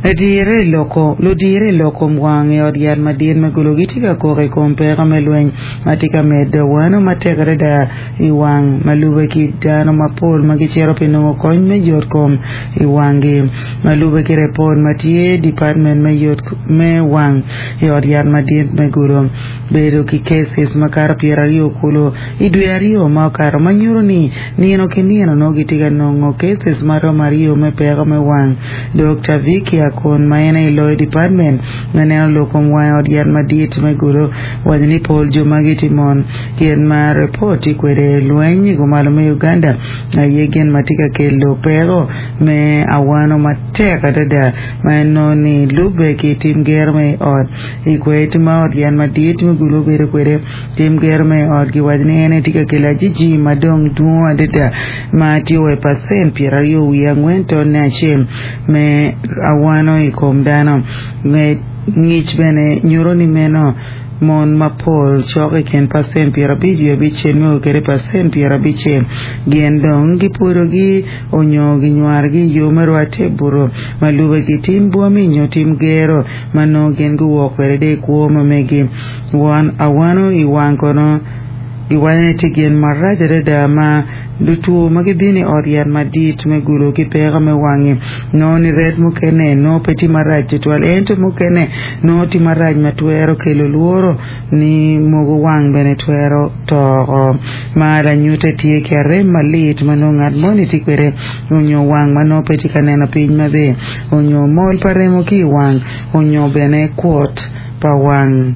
Ludire i lok kom wang i ot yat madit me Gulu gitye ka kok i kom peko me lweny ma tye ka medo wano matek adada i wang ma lube ki dano mapol ma gicito pi nongo kony me yot kom i wanggi. Ma lube ki repot ma tye Department me yot me wang i ot yat madit me Gulu bedo ki cases makato pyeraryo kulu i dwe aryo ma okato ma nyuto ni nino ki nino nongo gitye ka nongo cases maromo aryo me peko me wang. Dokta Vicky Akon ma en aye loyo department ma neno lok kom wang i ot yat madit me Gulu owaco ni pol jo magi tye mon. Gin ma report tye kwede lweny i kumalo me Uganda aye gin ma tye ka kelo peko me awano matek adada ma en nongo ni lubbe ki tim gero me i ot i kwed ma ot yat madit me Gulu obedo kwede. Tim gero me i ot giwaco ni en aye tye ka kelo ajiji ma dong dwong adada ma tye wa i pacent pyeraryo wiye angwen tonne acel me awano i kom dano. Ngic bene nyuto ni meno mon mapol cok i kin pacent pyerabic wiye abicel me o kwede pacent pyerabicel gin dong gipwodogi onyo ginywarogi i yo me rwatte i buto ma lube ki tim bwami nyo tim gero ma nongo gin guwok kwede i kwo ma megi. Won awano i wang kono giwaco ni tye gin marac adada ma lutwo ma gibino i ot yat madit me gulo ki peko me wangi nongo ni ret mukene nongo pe tye marac tutwal ento mukene nongo tye marac ma twero kelo lworo ni mogo wang bene twero toko ma lanyute tye ki arem malit ma nongo ngat moni tye kwede onyo wang ma nongo pe tye ka neno piny maber onyo mol pa remo ki i wang onyo bene kwot pa wang.